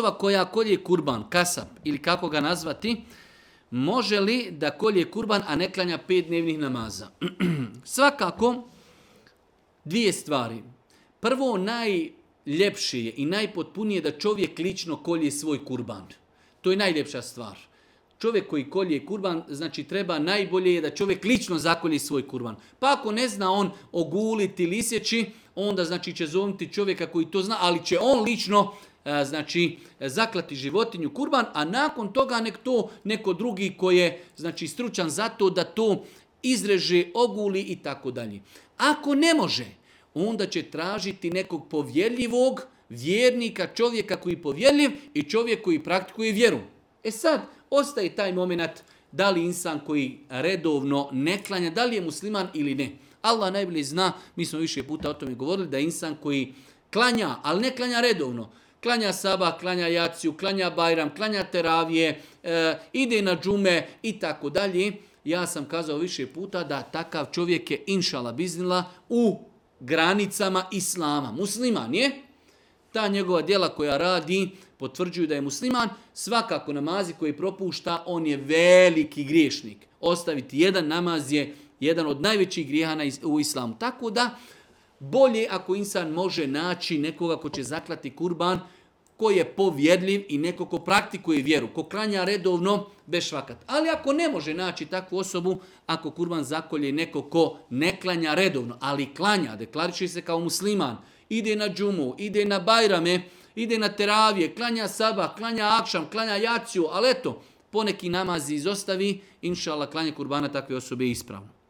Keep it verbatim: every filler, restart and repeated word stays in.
osoba koja kolje kurban, kasap ili kako ga nazvati, može li da kolje kurban, a ne klanja pet dnevnih namaza? Svakako, dvije stvari. Prvo, najljepše je i najpotpunije da čovjek lično kolje svoj kurban. To je najljepša stvar. Čovjek koji kolje kurban, znači treba najbolje je da čovjek lično zakolje svoj kurban. Pa ako ne zna on oguliti ili isjeći, onda znači će zovnuti čovjeka koji to zna, ali će on lično znači zaklati životinju kurban, a nakon toga nek to neko drugi koji je znači stručan za to da to izreže, oguli i tako dalje. Ako ne može, onda će tražiti nekog povjerljivog vjernika, čovjeka koji je povjerljiv i čovjek koji praktikuje vjeru. E sad, ostaje taj moment da li insan koji redovno ne klanja, da li je musliman ili ne. Allah najbolje zna, mi smo više puta o tome govorili, da je insan koji klanja, ali ne klanja redovno. Klanja sabah, klanja jaciju, klanja bajram, klanja teravije, e, ide na džume i tako dalje. Ja sam kazao više puta da takav čovjek je inšala biznila u granicama islama. Musliman je. Ta njegova djela koja radi potvrđuju da je musliman. Svakako namazi koji propušta, on je veliki griješnik. Ostaviti jedan namaz je jedan od najvećih grijeha u islamu. Tako da bolje ako insan može naći nekoga ko će zaklati kurban, ko je povjerljiv i neko ko praktikuje vjeru, ko klanja redovno, bez švakat. Ali ako ne može naći takvu osobu, ako kurban zakolje neko ko ne klanja redovno, ali klanja, deklariše se kao musliman, ide na džumu, ide na bajrame, ide na teravije, klanja sabah, klanja akšam, klanja jaciju, ali eto, poneki namazi izostavi, inša Allah, klanje kurbana takve osobe je ispravno.